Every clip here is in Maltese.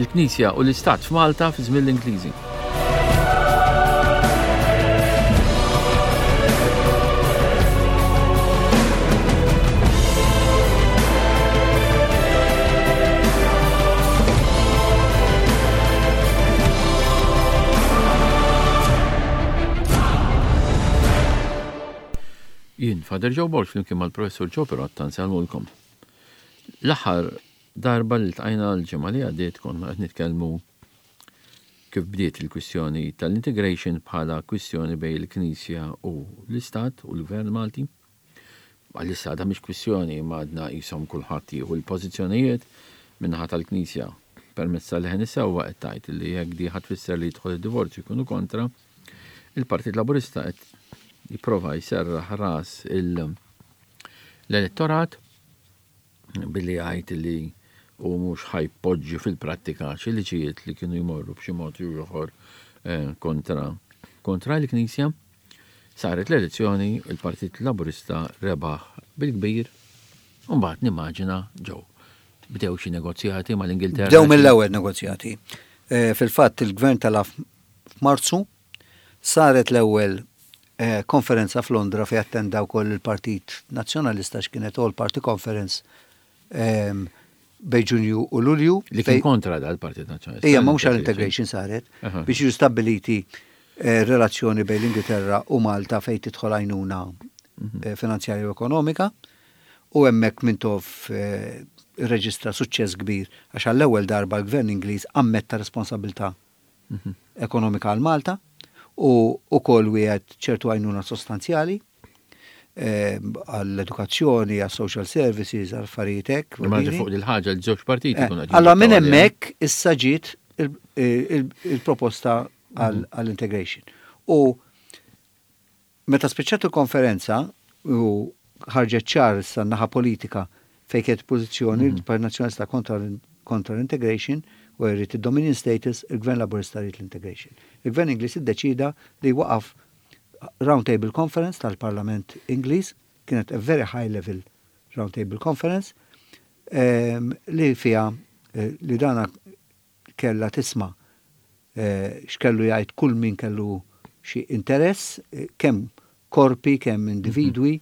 Il-Knisja u l-Istat f'Malta fi żmien l-Ingliżi. Jien, Father Joe Borg flimkien mal-Professur Joe Pirotta nsellmulkom. L-aħħar darba li ltqajna l-ġimgħa li għaddiet konna qed nitkellmu kif bdiet il-kwistjoni tal-integration bħala kwistjoni bejn il-Knisja u l-Istat u l-Gvern Malti. Għalissa għadha mhix kwistjoni imma għadna qishom kulħadd jieħu l-pożizzjonijiet min-naħa tal-Knisja permezz ta' Leħen is-Sewwa qed tgħid li jekk di ħa tfisser li jidħol id-divorzju jkunu kontra, il-Partit Laburista qed jipprova jserraħ ras l-elettorat billi jgħid li hu mhux ħa jpoġġi fil-prattika xi liġijiet li kienu jmorru b'xi mod jew ieħor eh, kontra kontra l-Knisja. Saret l-elezzjoni, il-Partit Laburista rebaħ bil-kbir, u mbagħad nimmaġina ġew bdew xi negozjati mal-Ingilterra. Bdew mill-ewwel negozjati. Eh, fil-fatt il-gvern tela' f'Marzu saret l-ewwel eh, konferenza f'Londra fejn attenda wkoll il-Partit Nazzjonalista x'kienet All Party Conference ehm, bejn Ġunju u Lulju. Li kien kontra dal-Partit Nazzjonalista. Ija, ma mhux għall-integration saret, biex jiġu stabbiliti eh, relazzjoni bejn l-Ingilterra u Malta fejn tidħol għajnuna mhm. eh, finanzjarja u ekonomika. U hemmhekk Mintoff eh, irreġistra suċċess kbir għax għall-ewwel darba l-Gvern Ingliż ammetta responsabilità mhm. ekonomika għal Malta u ukoll wieħed ċertu għajnuna sostanzjali eh, għall-edukazzjoni, għall-social services, għall-affarijiet hekk. Imma fuq il-ħaġa l-żewġ partiti eh, Allora minn hemmhekk issa ġiet il-proposta mhm. għall-integration. U Meta spiċċat il-konferenza u ħarġet ċar issa n-naħa politika fejn kienet il-pożizzjoni, il-Partit Nazzjonalista kontra kontra l-integration u jrid id-dominion status, il-Gvern Laburista jrid l-integration. Il-Gvern Ingliż iddeċieda li jwaqqaf Round Table Conference tal-Parlament Ingliż, kienet a very high level Round Table Conference, li fiha li dana kellha tisma' x'kellu jgħid kull min kellu xi interess, kemm korpi, kemm individwi,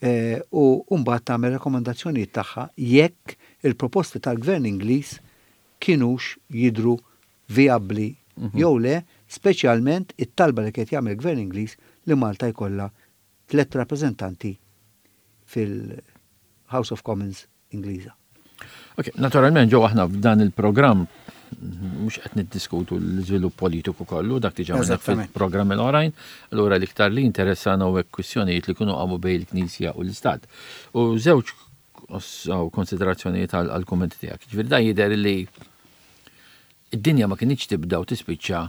u mbagħad tagħmel rakkomandazzjonijiet tagħha jekk il-proposti tal-Gvern Ingliż kinux jidhru vijabbli jew le, speċjalment it-talba li kien qed jagħmel il-Gvern Ingliż li Malta jkollha tlett rappreżentanti fil-House of Commons Ingliża. Ok, naturalment ġew aħna f'dan il-programm mhux qed niddiskutu l-iżvilupp politiku kollu dak diġà għamilna fil-programmi l-oħrajn, allura l-iktar li interessana u kwistjonijiet li kienu qamu bejn il-Knisja u l-Istat. U żewġ konsiderazzjonijiet għal-kummenti tiegħek. Ġifieri dan jidher li id-dinja ma kinitx tibda u tispiċċa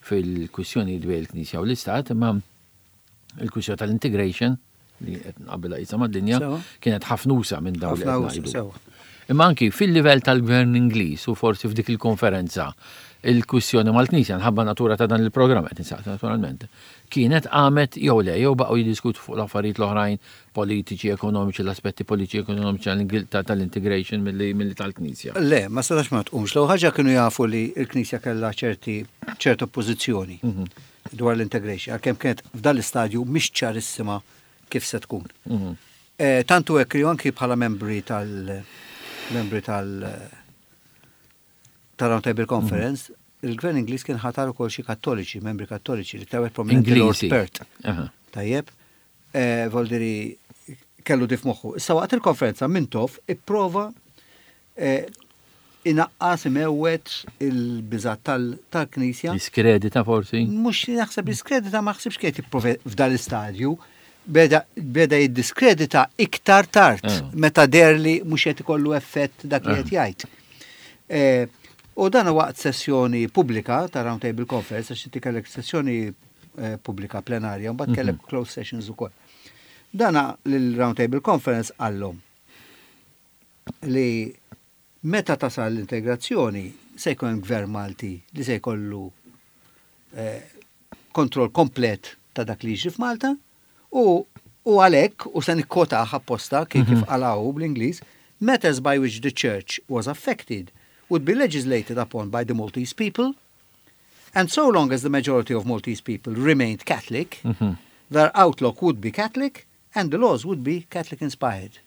fil-kwistjonijiet bejn il-Knisja u l-Istat, imma il-kwistjoni tal-integration li qed nqabbilha qisha mad-dinja kienet ħafna usa minn dawn li qed ngħidu. Imma anki fil-livell tal-Gvern Ingliż u forsi f'dik il-konferenza il-kwistjoni mal-Knisja nħabba natura ta' dan il-programm qed insaqsi naturalment kienet qamet jew le jew baqgħu jiddiskutu fuq l-affarijiet l-oħrajn politiċi, ekonomiċi, l-aspetti politiċi, ekonomiċi tal-integration milli tal-Knisja. Le, ma setax ma tqumx. L-ewwel ħaġa kienu jafu li l-Knisja kellha ċerti ċerta oppożizzjoni. Mhm. dwar l-integration, għalkemm kienet f'dan l-istadju mhix ċarissima kif se tkun. Mhm. Eh, tantu hekk li anki bħala membri tal membri tal tal-Round Table Conference, mhm. il-Gvern Ingliż kien ħatar ukoll xi kattoliċi, membri kattoliċi li tawet prominenti Lord Pert. Tajjeb, eh, voldiri kellu dif moħħu. Issa waqt il-konferenza Mintoff ipprova eh, inaqqas imewwet il-biżgħat tal-Knisja. Jiskredita forsi? Mhux naħseb jiskredita ma ħsibx kien jipprova f'dan l-istadju. Beda jiddiskredita iktar tard eh. meta deher li mhux qed ikollu effett dak li qed eh. jgħid. Eh, u dan waqt sessjoni pubblika ta' Round Table Conference, għax inti kellek sessjoni pubblika plenarja, mbagħad mhm. kellek closed sessions ukoll. Dana l-Round Table Conference qallhom li meta tasal l-integrazzjoni se jkun hemm gvern Malti li se jkollu eh, kontroll komplet ta' dak li jiġri f'Malta u u għalhekk u se nikkwotah apposta kif kif mhm. qalaw bl-Ingliż, matters by which the church was affected would be legislated upon by the Maltese people, and so long as the majority of Maltese people remained Catholic, their outlook would be Catholic and the laws would be Catholic inspired.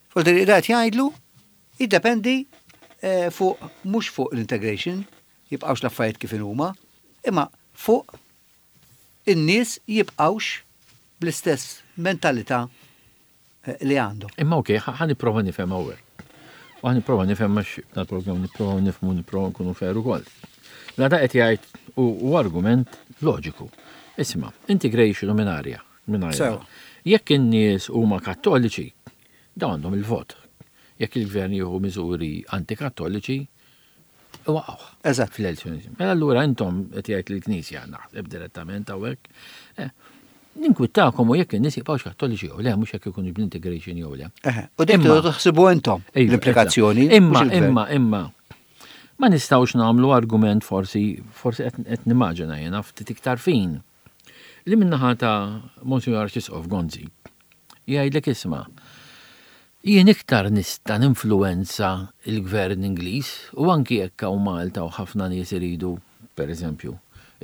Fuq dat jgħidlu, jiddependi fuq mhux fuq l-integration, jibqgħux l-affarijiet kif huma, imma fuq in-nies jibqgħux bl-istess mentalità li għandhom. Imma ok, ħa nipprova nifhem hawnhekk. U ħa nipprova nifhem għax dal-programm nipprova nifhmu, nipprova nkunu fair ukoll. Mela da qed jgħid u argument loġiku. Isma', integration u minn arja. Minn arja. Jekk in-nies huma kattoliċi, dawn għandhom il-vot. Jekk il-gvern jieħu miżuri antikattoliċi, waqgħu. Fl-elezzjoni. Mela allura intom qed jgħid lill-Knisja naħseb direttament hawnhekk. Ninkwittakom u jekk in-nies jibqgħux kattoliċi jew le, mhux jekk ikunu bl-integration jew le. U dik taħsibu intom l-implikazzjoni. Imma, imma, imma. Ma nistgħux nagħmlu argument forsi, forsi qed nimmaġina jiena ftit iktar fin. Li min-naħa ta' Monsignor Arċisqof Gonzi jgħidlek isma' jien iktar nista' ninfluwenza il-gvern Ingliż u anki jekk hawn Malta u ħafna nies iridu, per eżempju,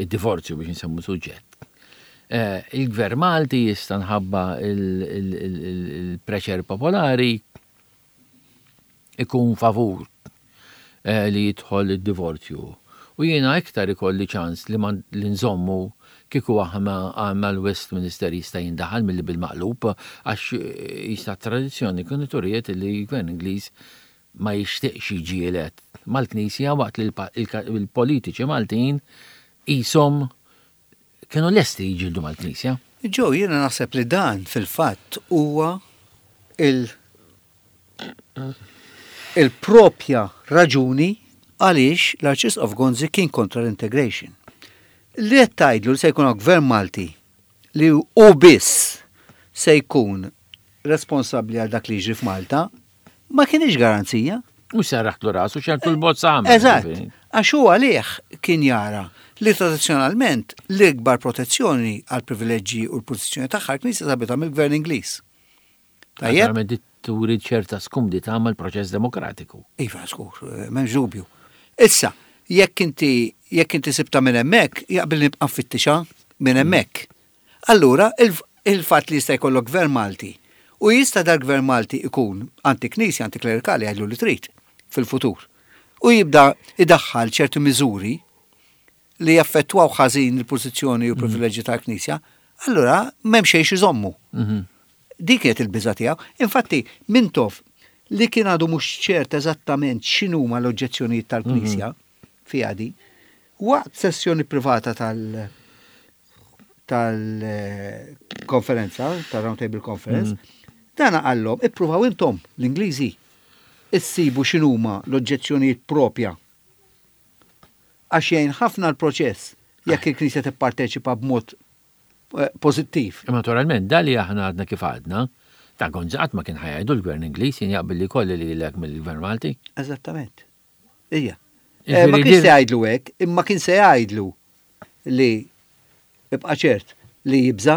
id-divorzju biex nsemmu suġġett. Il-gvern Malti jista' nħabba il-pressure popolari ikun favur li jidħol id-divorzju. U jiena iktar ikolli ċans li li nżommu kieku aħna għandna l-Westminster jista' jindaħal milli bil-maqlub, għax jista' tradizzjoni kienu turiet li l-gvern Ingliż ma jixtieqx jiġġieled mal-Knisja waqt li l-politiċi Maltin qishom kienu lesti jiġġieldu mal-Knisja. Ġo, jiena naħseb li dan fil-fatt huwa il-propja raġuni għaliex l-Arċisqof Gonzi kien kontra l-integration. Li qed tgħidlu li se jkun gvern Malti li hu biss se jkun responsabbli għal dak li jiġri f'Malta, ma kienx garanzija. U serraħtlu rasu ċertu l-bozza għamel. Eżatt, għax hu għalih kien jara li tradizzjonalment l-ikbar protezzjoni għal privileġġi u l-pożizzjoni tagħha l-Knisja sabitha mill-Gvern Ingliż. Tajjeb? Naturalment turi ċerta skumdità mal-proċess demokratiku. Iva, skur, m'hemmx dubju. Issa, jekk inti sibta minn hemmhekk, jaqbel nibqa' nfittixha minn hemmhekk. Allura, il-fatt li jista' jkollok gvern Malti u jista' dal-gvern Malti ikun anti-knisja, antiklerikali, għidlu li trid fil-futur. U jibda idaħħal ċerti miżuri li jaffettwaw ħażin il-pożizzjoni u privileġġi tal-Knisja, allura m'hemm xejn iżommu. Dik kienet il-biża tiegħu. Infatti, Mintoff li kien għadu mhux ċert eżattament x'inhuma l-oġġezzjonijiet tal-Knisja fiha di, waqt sessjoni privata tal-konferenza, tal-Round Table Conference, dana qallhom, ippruvaw intom l-Ingliżi issibu x'inhuma l-oġġezzjonijiet propja. Għax jgħin ħafna l-proċess jekk il-Knisja tipparteċipa b'mod pożittiv. Naturalment, dali aħna għadna kif għadna, ta' Gonzi qatt ma kien ħa jgħidu l-Gvern Ingliż jien jaqbel li kolli li lek mill-Gvern Malti. Eżattament. Ija. Ma kien se jgħidlu hekk, imma kien se jgħidlu li ibqa' ċert li jibża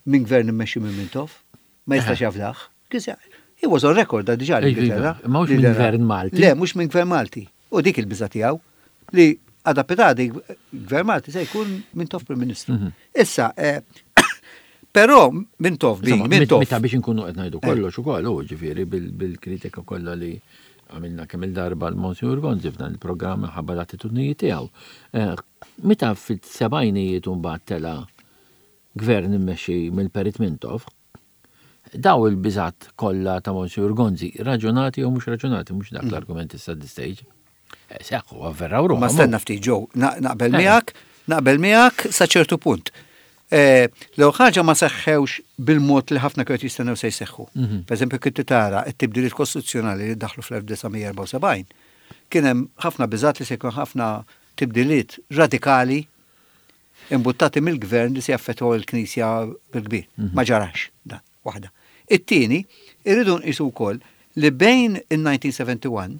minn gvern immexxi minn Mintoff, ma jistax jafdaħ. Kien se He was on record da diġà l-Ingilterra. Ma mhux minn gvern Malti. Le, mhux minn gvern Malti. U dik il-biża tiegħu li għada pitgħada gvern Malti se jkun Mintoff Prim Ministru. Issa, però Mintoff bi, Mintoff. Meta biex nkunu qed ngħidu kollox ukoll, u ġifieri bil-kritika kollha li għamilna kemm il-darba l-Monsignor Gonzi f'dan il-programm ħabba l-attitudnijiet tiegħu. Meta fis-sebgħinijiet mbagħad tela gvern immexxi mill-Perit Mintoff, daw il-biżat kollha ta' Monsignor Gonzi, raġunati jew mhux raġunati, mhux dak l-argument issa this stage. Seħħu, avveraw ruħhom. Ma stenna ftit ġew, naqbel miegħek, naqbel miegħek sa ċertu punt. L ħaġa ma seħħewx bil-mod li ħafna kienu jistennew se jseħħu. Per eżempju, kif tara t-tibdiliet kostituzzjonali li daħlu fl-1974, kien hemm ħafna biżat li se jkun ħafna tibdiliet radikali imbuttati mill-gvern li se jaffettwaw il-Knisja bil-kbir. Ma ġarax dan, waħda. It-tieni, irridu nqisu wkoll li bejn il-1971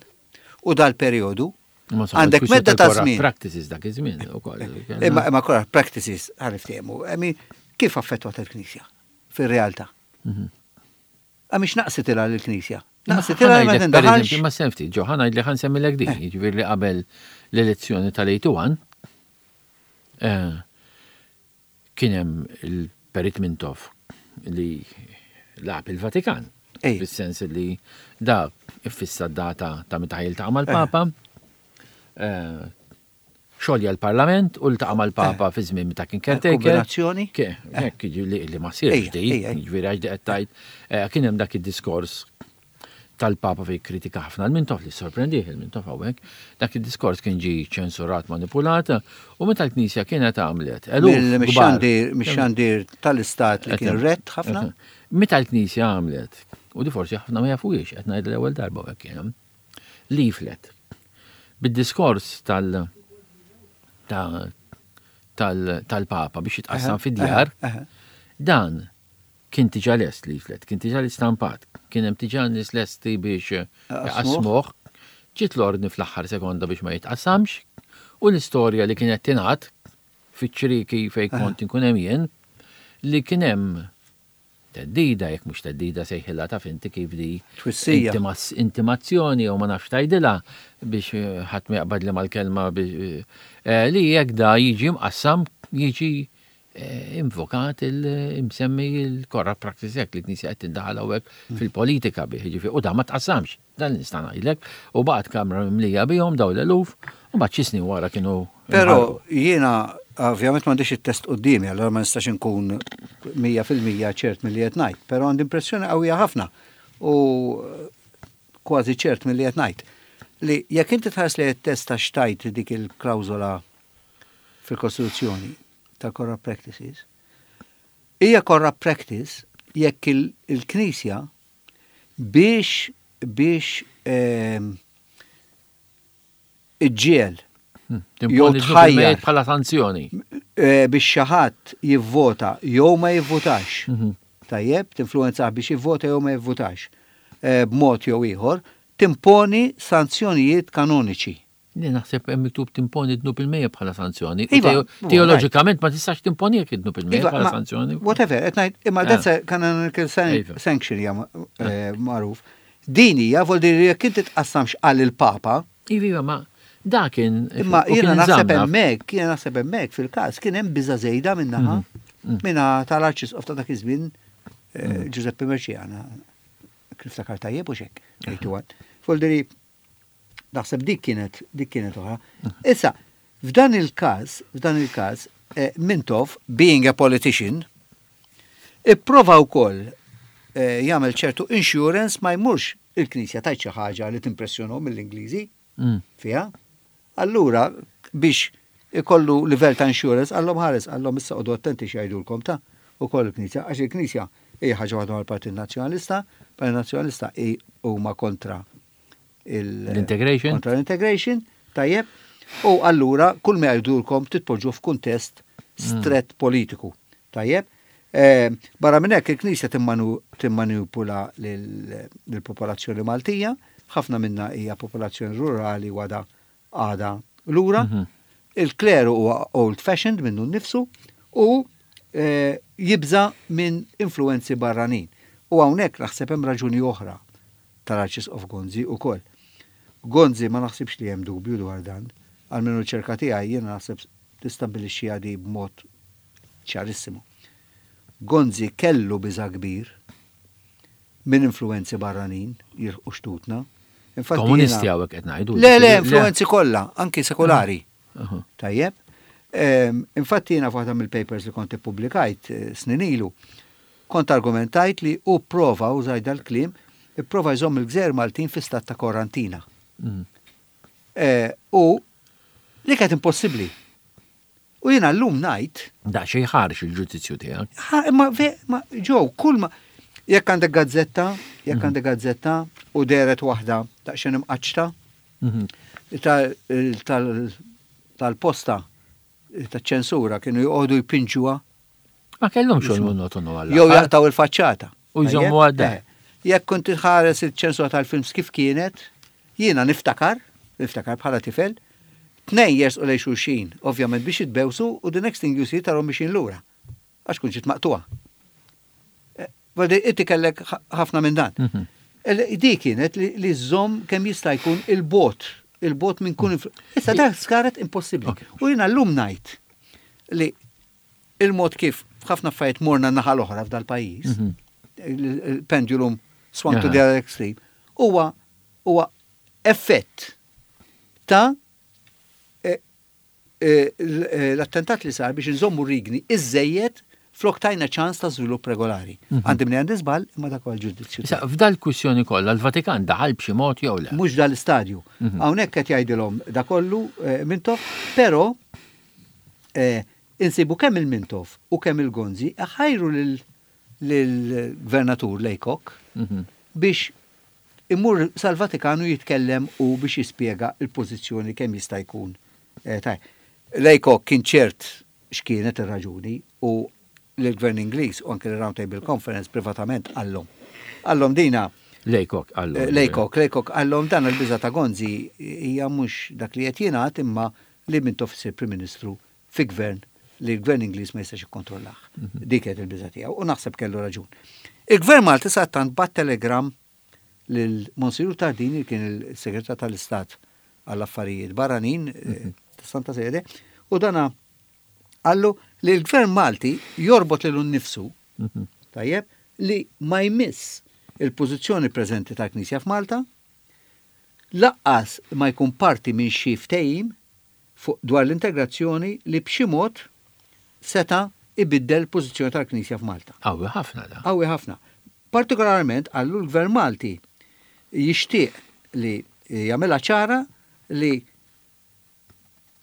u dal-perjodu għandek medda ta' żmien. Practices dak iż-żmien ukoll. Imma corrupt practices ħa niftehmu. I mean, kif affettwat il-Knisja fir-realtà? Għamix naqsit il l-Knisja. Naqsitilha li ma tindaħalx. Ma sem ftit, ġo, ħa ngħidlek ħa nsemmilek din, eh. jiġifieri li qabel l-elezzjoni tal-81 eh, kien hemm il-Perit Mintoff li lagħab il-Vatikan. Fis-sens li da iffissa data ta' meta jiltaqa' mal-Papa. Eh, xolja l-Parlament u ltaqa' mal-Papa fi żmien meta kien caretaker. Kombinazzjoni? Hekk li ma sirx di, jiġifieri għax di qed tgħid, kien hemm dak id-diskors tal-Papa fejn kritika ħafna l-Mintoff li sorprendih il-Mintoff hawnhekk. Dak id-diskors kien ġie ċensurat, manipulat u meta l-Knisja kienet għamlet eluf. Mix-xandir tal-Istat li kien rett ħafna. Meta l-Knisja għamlet, u di forsi ħafna ma jafuhiex, qed ngħid l-ewwel darba hekk kien leaflet bid-diskors tal tal-Papa biex jitqassam fid-djar, dan kien tiġa lest leaflet, kien tiġa l-istampat, kien hemm tiġa nies lesti biex jqassmuh, ġiet l-ordni fl-aħħar sekonda biex ma jitqassamx, u l-istorja li kienet tingħad fiċ-ċrieki fejn kont inkun hemm jien, li kien hemm Theddida, jekk mhux theddida sejħilha taf inti kif di. Twissija. Intimazzjoni jew ma nafx tgħidilha biex eh, ħadd ma jaqbadli mal-kelma biex eh, li jekk da jiġi mqassam jiġi eh, invokat il-imsemmi il-Corrupt Practice Act li knisja qed tindaħal hawnhekk hmm. fil-politika bih, jiġifieri u da ma tqassamx. Dan nista' ngħidlek, u baqgħet kamra mimlija bihom dawn l-eluf, u mbagħad xi snin wara kienu. Però jiena ovvjament m'għandix it-test quddiemi, allura ma nistax inkun 100% ċert milli qed ngħid, però għandi impressjoni qawwija ħafna u kważi ċert milli qed ngħid li jekk inti tħares li t-test ta' xtajt dik il-klawżola fil-Kostituzzjoni tal-Corrupt Practices, hija corrupt practice jekk il-Knisja biex biex ehm, iġġiel hmm, jew tħajjar bħala sanzjoni. Eh, biex xi ħadd jivvota jew ma jivvotax. Mhm. Tajjeb, tinfluwenzah biex jivvota jew ma jivvotax eh, b'mod jew ieħor, timponi sanzjonijiet kanoniċi. Li naħseb hemm miktub timponi dnub il-mejja bħala sanzjoni. Iva, teoloġikament ma tistax timponi jekk id-dnub il-mejja iva, bħala sanzjoni. Whatever, qed ngħid, imma eh. that's a canonical iva. sanction hija eh, eh. magħruf. Din hija vol dir jekk inti tqassamx għal il-Papa. Iva, iva, ma dak kien. Imma jiena naħseb hemmhekk, jiena naħseb hemmhekk fil-każ kien hemm biża' żejda minnaħa mhm. mm. minna tal-Arċisqof ta' dak iż-żmien mm. Giuseppe Merciana. Kif takar tajjeb u xek. Voldiri, Naħseb dik kienet dik kienet oħra. Issa, f'dan il-każ, f'dan il-każ, eh, Mintoff, being a politician, ipprova wkoll eh, jagħmel ċertu insurance ma jmurx il-Knisja tajt xi ħaġa li timpressjonhom mill-Ingliżi mm. fiha. Allura biex ikollu livell ta' insurance għallhom ħares għallhom issa qogħdu attenti x'jgħidulkom ta' ukoll il-Knisja għax il-Knisja hija ħaġa waħda mal-Partit Nazzjonalista, Partit Nazzjonalista huma kontra l-integration. Kontra l-integration, tajjeb. U allura kull ma jgħidulkom titpoġġu f'kuntest mm. stret politiku. Tajjeb. Eh, barra minn hekk il-Knisja timmanipula lill-popolazzjoni Maltija, ħafna minna hija popolazzjoni rurali wada għada lura. Mhm. Il-kleru huwa old fashioned minnu nnifsu u eh, jibża minn influenzi barranin. U hawnhekk naħseb hemm raġuni oħra tal-Arċisqof Gonzi ukoll. Gonzi ma naħsibx li hemm dubju dwar dan. Almenu r-riċerka tiegħi jiena naħseb tistabbilixxiha di b'mod ċarissimu. Gonzi kellu biża' kbir minn influwenzi barranin jilħqu xtutna. Infatti Komunisti hawnhekk qed ngħidu. Le, le, influwenzi kollha, anki sekolari. Tajjeb. Ehm, infatti jiena f'waħda mill-papers li kont ippubblikajt eh, snin ilu, kont argumentajt li hu pprova, użajt dal-kliem, ipprova jżomm il-gżejjer Maltin fi stat ta' korantina. Mm. Eh, u li kienet impossibbli. U jiena llum ngħid. Daqsxejn ħarx il-ġudizzju tiegħek. Imma ma ġew kull ma jekk għandek gazzetta, jekk mhm. għandek gazzetta u deret waħda daqsxejn imqaċċta mhm. tal-posta taċ-ċensura kienu joqogħdu jpinġuha. Ma kellhomx xogħol monotonu għal. Jew jaqtaw il-faċċata. U jżommu għadda. Eh, jekk kont tħares il-ċensura tal-films kif kienet, jiena niftakar, niftakar bħala tifel, tnejn jersqu lejn xulxin, ovvjament biex jitbewsu u the next thing you see tarhom mixin lura. Għax kun ġiet maqtuha. Eh, inti kellek ħafna minn dan. Mhm. Di kienet li żżomm kemm jista' jkun il-bot, il-bot minn kun. Issa dak saret impossibbli. U jiena llum ngħid li il-mod kif ħafna affarijiet morna naħa l-oħra f'dal-pajjiż, il-pendulum swung to the other extreme, huwa effett ta' l-attentat li sar biex nżommu rigni iżejjed flok tajna ċans ta' żvilupp regolari. Għandi minn għandi żball, imma dak huwa l-ġudizzju. Issa, f'dal-kwistjoni kollha l-Vatikan daħal b'xi mod jew le? Mhux dal-istadju. Hawnhekk qed jgħidilhom da kollu Mintoff, però insibu kemm il-Mintoff u kemm il-Gonzi ħajru lill-gvernatur Laycock biex imur sal-Vatikanu jitkellem u biex jispjega il-pożizzjoni kemm jista' jkun. Laycock kien ċert x'kienet ir-raġuni u l-Gvern Ingliż u anke l-Round Table Conference privatament qallhom. Qallhom dina. Laycock qallhom. Laycock qallhom dan il-biża ta' Gonzi hija mhux dak li qed jingħad imma li Mintoff isir Prim Ministru fi gvern li l-Gvern Ingliż ma jistax ikkontrollah. Dik kienet il-biża tiegħu u naħseb kellu raġun. Il-Gvern Malti sattant bat telegram lil Monsignor Tardini li kien il-Segretar tal-Istat għall-Affarijiet Barranin ta' Santa Sede u dana qallu li l-Gvern Malti jorbot lilu nnifsu, tajjeb, li ma jmiss il-pożizzjoni preżenti tal-Knisja f'Malta, laqqas ma jkun parti minn xi ftehim fuq dwar l-integrazzjoni li b'xi mod seta' ibiddel il-pożizzjoni tal-Knisja f'Malta. Qawwi ħafna da. Qawwi ħafna. Partikolarment qallu l-Gvern Malti jixtieq li jagħmilha ċara li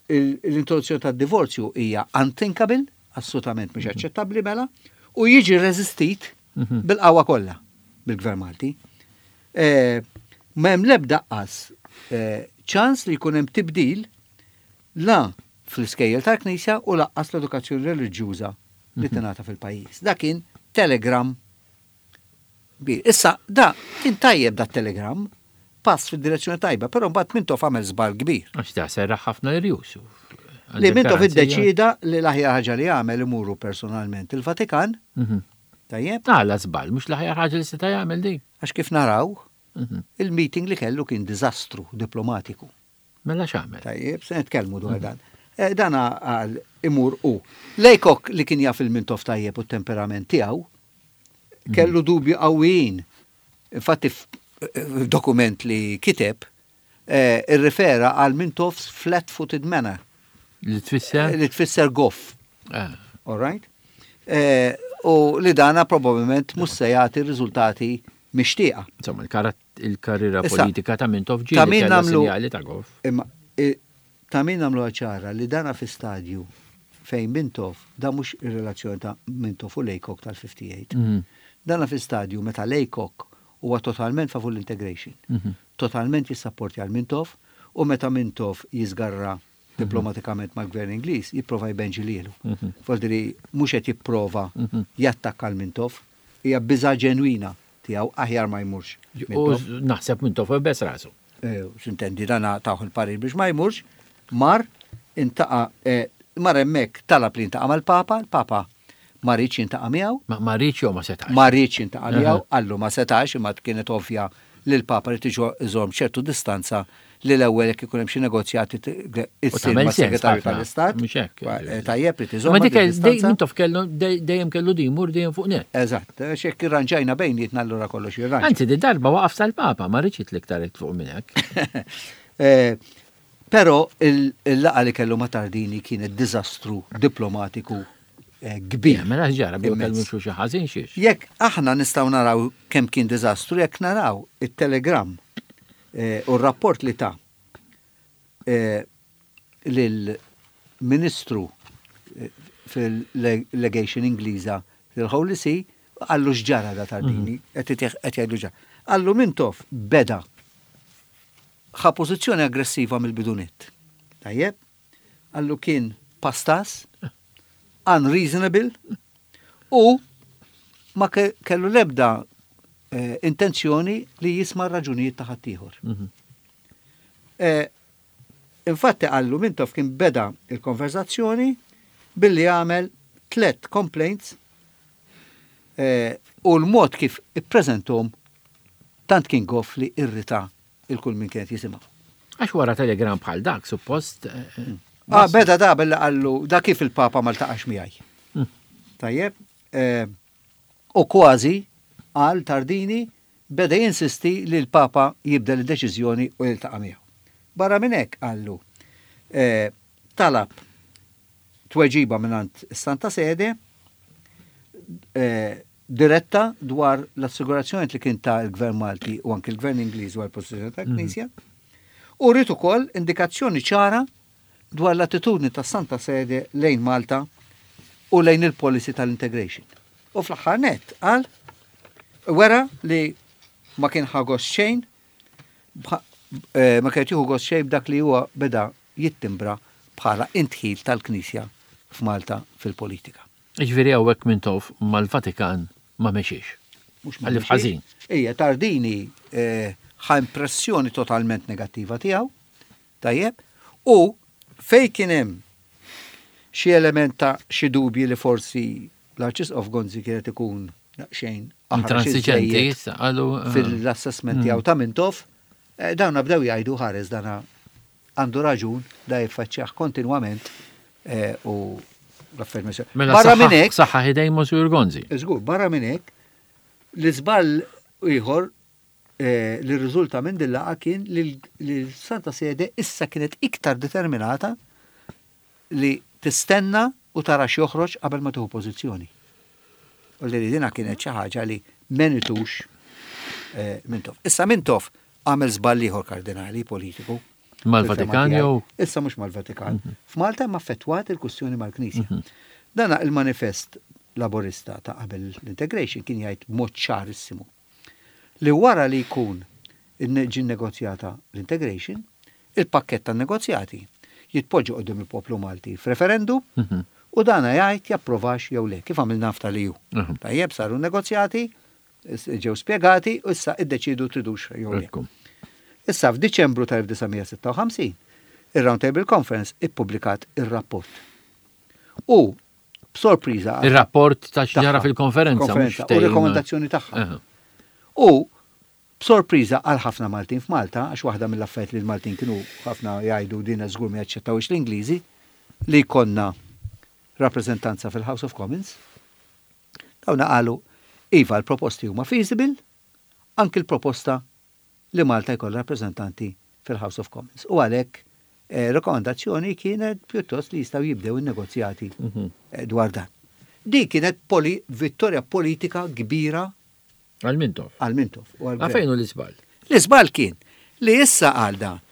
l-introduzzjoni tad-divorzju hija unthinkable, assolutament mhux aċċettabbli mela, u jiġi reżistit bil-qawwa kollha bil-Gvern Malti. Ma hemm l-ebda qas ċans li jkun hemm tibdil la fl-iskejjel tal-Knisja u laqqas l-edukazzjoni reliġjuża li tingħata fil-pajjiż. Da kien telegram. Issa, da kien tajjeb da telegram, pass fid-direzzjoni tajba, però mbagħad Mintoff għamel żball kbir. Għax da serraħ ħafna irjus. Li Mintoff iddeċida li l-aħjar ħaġa li għamel imuru personalment il-Vatikan. Tajjeb. Għala żball, mhux l-aħjar ħaġa li seta' jagħmel din. Għax kif naraw, il-meeting li kellu kien diżastru diplomatiku. Mela x'għamel? Tajjeb, se nitkellmu dwar dan. Dan għal imur u. Laycock li kien jaf il-Mintoff tajjeb u t-temperament tiegħu, kellu dubju qawwijin. Infatti f'dokument li kiteb, irrifera għal Mintoff's flat-footed manner. Li tfisser? Li tfisser goff. All right? U li dana probabbilment mhux se jagħti riżultati mixtieqa. Insomma, il-karriera politika ta' Mintoff ġieli Ta' min kellha nagħmlu sinjali ta' goff. Imma ta' min nagħmlu ċara li dana fi stadju fejn Mintoff, da mhux ir-relazzjoni ta' Mintoff u Laycock tal-58. Dana fi stadju meta Laycock huwa totalment favur l-integration, totalment jissapporti għal Mintoff, u meta Mintoff jiżgarra diplomatikament mal-gvern Ingliż, jipprova jbenġi lilu. Vuol mhux qed jipprova jattakka l Mintoff, hija biża' ġenwina tiegħu aħjar ma jmurx. U naħseb Mintoff bes rasu. X'intendi dana taħu l-parir biex ma jmurx, mar intaqa mar hemmhekk talab li jintaqa' mal-Papa, il-Papa ma riedx jintaqa' miegħu. Ma riedx jew ma setax? Ma riedx jintaqa' miegħu, qallu ma setax, imma kienet ovvja li l-Papa li tiġu iżomm ċertu distanza li l-ewwel jekk ikun hemm xi negozjati issir tagħmel ma' sens segretarju ħafna, tal-Istat. mhux hekk. Tajjeb li tiżomm Ma dik dik distanza. Mintoff kellu dejjem kellu di jmur dejjem fuq net. Eżatt, x'hekk irranġajna bejnietna allura kollox jirranġa. Anzi, di darba waqaf sal-Papa, ma riedx l-iktar fuq minn hekk. Però il-laqgħa li kellu ma' Tardini kienet diżastru diplomatiku kbir. Mela ġara, biex Immens. kellu xi ħażin xiex. Jekk aħna nistgħu naraw kemm kien diżastru, jekk naraw it-telegram u r-rapport li ta' lill-Ministru fil-Legation Ingliża fil-Holy See, qallu x'ġara da Tardini, qed jgħidlu ġara. Qallu Mintoff beda ħa pożizzjoni aggressiva mill-bidunit. Tajjeb, qallu kien pastas, unreasonable, u ma kellu lebda intenzjoni li jisma' raġunijiet ta' ħaddieħor. Infatti qallu Mintoff kien beda il-konverzazzjoni billi għamel 3 complaints u l-mod kif ippreżentom Tant kien goff li irrita 'l kull min kien qed jisimgħu. Għax wara telegram bħal dak, suppost. Ah, beda da billi qallu da kif il-Papa ma ltaqax miegħi. Tajjeb, u kważi qal Tardini beda jinsisti li l-Papa jibdel id-deċiżjoni u jiltaqa' miegħu. Barra minn hekk qallu talab tweġiba mingħand is-Santa Sede diretta dwar l-assigurazzjoni li kien ta l-Gvern Malti u anki l-Gvern Ingliż dwar il-pożizzjoni tal-Knisja, u ried ukoll indikazzjoni ċara dwar l-attitudni tas-Santa Sede lejn Malta u lejn il-policy tal-integration. U fl-aħħar nett qal wera li ma kien ħa gost xejn ma kien jieħu gost xejn b'dak li huwa beda jittimbra bħala indħil tal-Knisja f'Malta fil-politika. Jiġifieri hawnhekk Mintoff mal-Vatikan ma mexiex. Mhux ma mexiex. Ħażin. Ejja, Tardini ħa impressjoni totalment negattiva tiegħu, tajjeb, u fejn kien hemm xi element ta' xi dubji li forsi l-Arċisqof Gonzi kien qed ikun daqsxejn intransiġenti issa qalu fil-assessment tiegħu ta' Mintoff, dawna bdew jgħidu ħares dana Għandu raġun, da jiffaċċjah kontinwament u l-affarijiet ma jsir. Mela barra minn hekk. Saħħa ħidejn Monsignor Gonzi. Żgur, barra minn hekk, l-iżball ieħor li rriżulta minn din laqgħa kien li l-Santa Sede issa kienet iktar determinata li tistenna u tara x'joħroġ qabel ma tieħu pożizzjoni. U li dina kienet xi ħaġa li m'għenitux Mintoff. Issa Mintoff għamel żball ieħor kardinali politiku. Mal-Vatikan jew? Issa mhux mal-Vatikan. F'Malta imma affettwat il-kwistjoni mal-Knisja. Dana il-manifest Laburista ta' qabel l-integration kien jgħid b'mod ċarissimu li wara li jkun ġie nnegozjata l-integration, il-pakkett tan-negozjati jitpoġġa quddiem il-poplu Malti f'referendum u dana jgħid japprovax jew le, kif għamilna f'tal-EU. Tajjeb, saru n-negozjati, ġew spjegati u issa iddeċiedu tridux jew le. Issa f'Diċembru tal-1956, ir-Round Table Conference ippubblikat ir-rapport. U b'sorpriża. Ir-rapport ta' x'ġara fil-konferenza. U rekomendazzjoni tagħha. U b'sorpriża għal ħafna Maltin f'Malta, għax waħda mill-affarijiet li l-Maltin kienu ħafna jgħidu din żgur ma jaċċettawhiex l-Ingliżi, li jkollna rappreżentanza fil-House of Commons. Dawna qalu, iva l-proposti huma feasible, anki l-proposta li Malta jkollha rappreżentanti fil-House of Commons. U għalhekk rekomandazzjoni kienet pjuttost li jistgħu jibdew in-negozjati dwar dan. Din kienet poli, vittorja politika kbira Għal Mintoff. Għal Mintoff. Fejn hu l-iżball? L-iżball kien li issa għal dan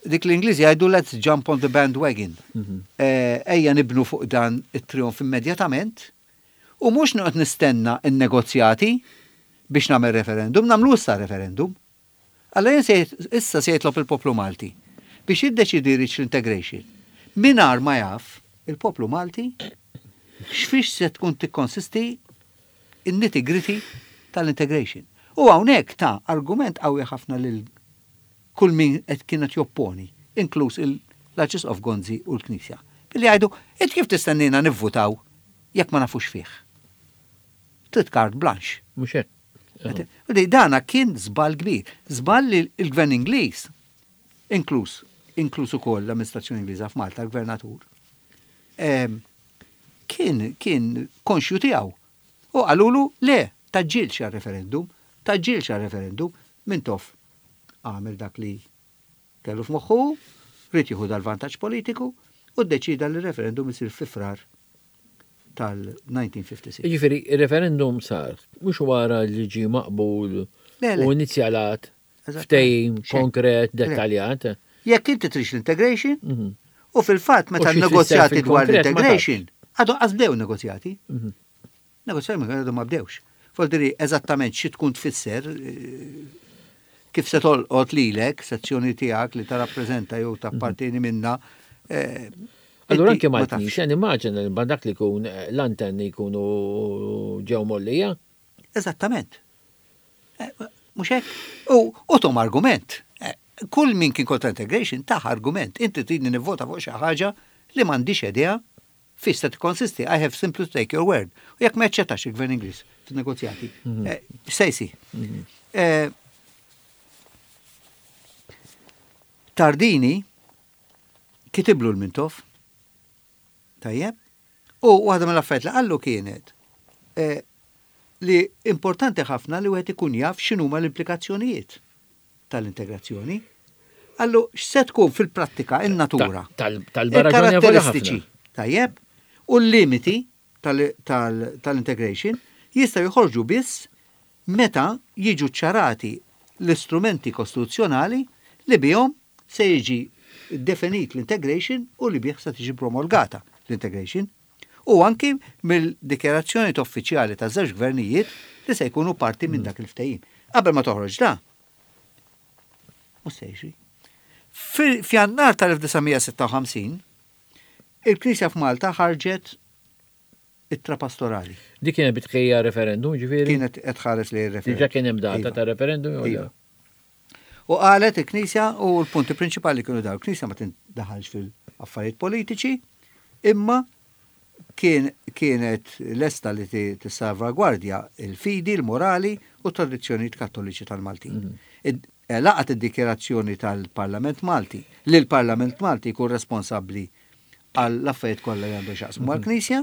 dik l-Ingliżi jgħidu let's jump on the bandwagon. Ejja nibnu fuq dan it-trionf immedjatament u mhux noqgħod nistenna n-negozjati biex nagħmel referendum, nagħmlu issa referendum. Alla jien issa se jitlob il-poplu Malti biex jiddeċiedi jridx l-integration. Mingħajr ma jaf il-poplu Malti x'fiex se tkun tikkonsisti in-nitty-gritty tal-integration. U hawnhekk ta argument qawwi ħafna lil kull min qed kien qed jopponi, inkluż l-Arċisqof Gonzi u l-Knisja, billi jgħidu, int kif tistennina nivvutaw jekk ma nafux fih? Trid carte blanche. Mhux hekk. U li dana kien żball kbir. Żball li l-Gvern Ingliż, inkluż inkluż ukoll l-amministrazzjoni Ingliża f'Malta, l-Gvernatur, kien kien konxju tiegħu. U qalulu le, tgħaġġilx għar-referendum, tgħaġġilx għar-referendum, Mintoff għamel dak li kellu f'moħħu hu, ried jieħu dal-vantaġġ politiku u ddeċieda li r-referendum isir fi Frar tal-1956. Jiġifieri r-referendum sar mhux wara li ġie maqbul u inizjalat ftehim konkret dettaljat. Jekk inti tridx l-integration, u fil-fatt meta n-negozjati dwar l-integration, għadu qas bdew negozjati. Negozjati ma għadhom ma bdewx. Voldiri eżattament xi tkun tfisser kif se tolqot lilek, sezzjoni tiegħek li tarappreżenta jew tappartieni minna. Allura anke mal-Knisja nimmaġina li dak li jkun l-antenni jkunu ġew mgħollija. Eżattament. Mhux hekk? U tom argument. Kull min kien kontra integration tah argument. Inti tridni nivvota fuq xi ħaġa li m'għandix idea Fiex se tikkonsisti, I have simply to take your word. U jekk ma jaċċettax il-Gvern Ingliż fin-negozjati, x'se jsir? Eh, Tardini kitiblu l-Mintoff. Tajjeb? U waħda mill-affarijiet li qallu kienet eh, li importanti ħafna li wieħed ikun jaf x'inhuma l-implikazzjonijiet tal-integrazzjoni. Qallu x'se tkun fil-prattika in-natura. Tal-karatteristiċi. Tajjeb? U l-limiti tal-integration jistgħu joħorġu biss meta jiġu ċċarati l-istrumenti kostituzzjonali li bihom se jiġi definit l-integration u li bih se tiġi promulgata l-integration. U anki mill-dikjarazzjoni uffiċjali ta' żewġ gvernijiet li se jkunu parti minn dak il-ftehim. Qabel ma toħroġ da, mhux se jiġri. F'Jannar tal-1956, il-Knisja f'Malta ħarġet ittra pastorali. Dik kienet bi tħejja referendum, ġifieri? Kienet qed tħares lejn ir-referendum. Diġà kien hemm data ta' referendum jew le? U qalet il-Knisja u l-punti prinċipali kienu dawn, il-Knisja ma tindaħalx fil-affarijiet politiċi, imma kien kienet lesta li tissalvagwardja il-fidi, il-morali u t-tradizzjonijiet kattoliċi tal-Maltin. Laqgħet id-dikjarazzjoni tal-Parlament Malti li l-Parlament Malti jkun responsabbli għall-affarijiet kollha li għandhom x'jaqsmu mal-Knisja.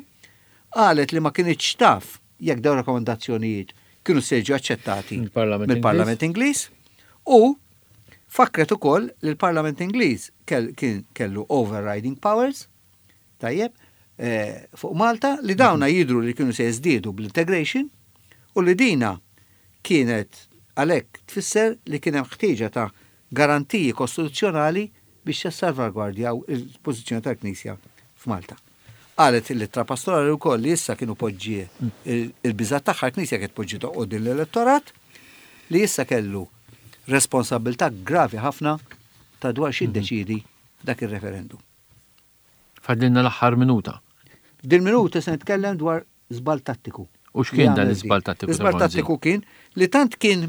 Qalet li ma kinitx taf jekk dawn rakkomandazzjonijiet kienu se jiġu aċċettati mill-Parlament Ingliż u fakkret ukoll li l-Parlament Ingliż kien kellu overriding powers tajjeb eh, fuq Malta li dawna jidru li kienu se jiżdiedu bl-integration u li dina kienet għalhekk tfisser li kien hemm ħtieġa ta' garantiji kostituzzjonali biex jissalvagwardjaw il-pożizzjoni tal-Knisja f'Malta. Qalet l-ittra pastorali wkoll li issa kienu poġġie il-biżgħat tagħha l-Knisja kienet poġġietha quddiem l-elettorat li issa kellu responsabbiltà gravi ħafna ta' dwar x'jiddeċiedi f'dak ir-referendum. Fadlilna l-aħħar minuta. F'dil minuta se nitkellem dwar żball tattiku. U x'kien dan l-iżball tattiku? L-iżball tattiku kien li tant kien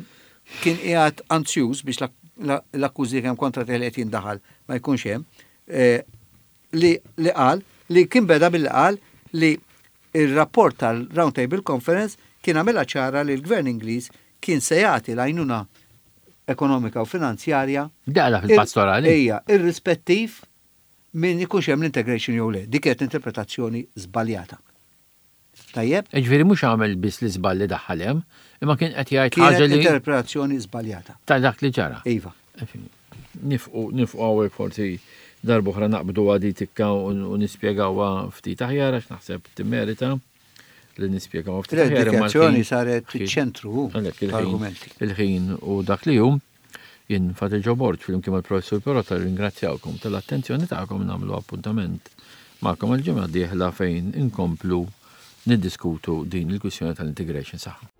kien qiegħed anzjuż biex l-akkużi kemm kontra tiegħi qed jindaħal ma jkunx hemm, eh, li li qal li kien beda billi qal li il-rapport tal-Round Table Conference kien għamilha ċara li l-Gvern Ingliż kien se jagħti l-għajnuna ekonomika u finanzjarja. Daqla fil-pastorali. Ejja, irrispettiv minn ikunx hemm l-integration jew le. Dik kienet interpretazzjoni żbaljata. Tajjeb? Ġifieri mhux għamel biss l-iżball li daħħal hemm, imma kien qed jgħid ħaġa li. interpretazzjoni żbaljata. Ta' dak li ġara. Iva. Nifqu nifqu hawnhekk forsi darb'oħra naqbdu għadi tikka u nispjegawha ftit aħjar għax naħseb timmerita li nispjegaw ftit aħjar. Id-dikjazzjoni saret fiċ-ċentru tal-argumenti. Il-ħin u dak li hu. Jien Father Joe Borg flimkien mal-Professur Perrotta nirringrazzjawkom tal-attenzjoni tagħkom nagħmlu appuntament magħkom għall-ġimgħa d-dieħla fejn inkomplu niddiskutu din il-kwistjoni tal-integration. Saħħa.